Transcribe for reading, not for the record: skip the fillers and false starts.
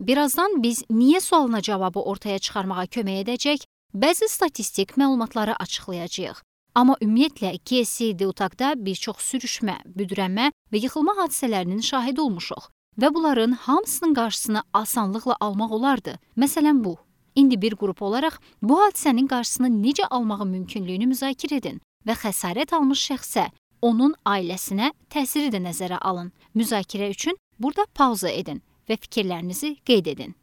Birazdan biz niyə sualına cavabı ortaya çıxarmağa kömək edəcək, bəzi statistik məlumatları açıqlayacağıq. Amma ümumiyyətlə GSD-Utaqda bir çox sürüşmə, büdrənmə və yıxılma hadisələrinin şahidi olmuşuq və bunların hamısının qarşısını asanlıqla almaq olardı. Məsələn bu. İndi bir qrup olaraq bu hadisənin qarşısını necə almağı mümkünlüyünü müzakirə edin və xəsarət almış şəxsə, onun ailəsinə təsiri də nəzərə alın. Müzakirə üçün burada pauza edin və fikirlərinizi qeyd edin.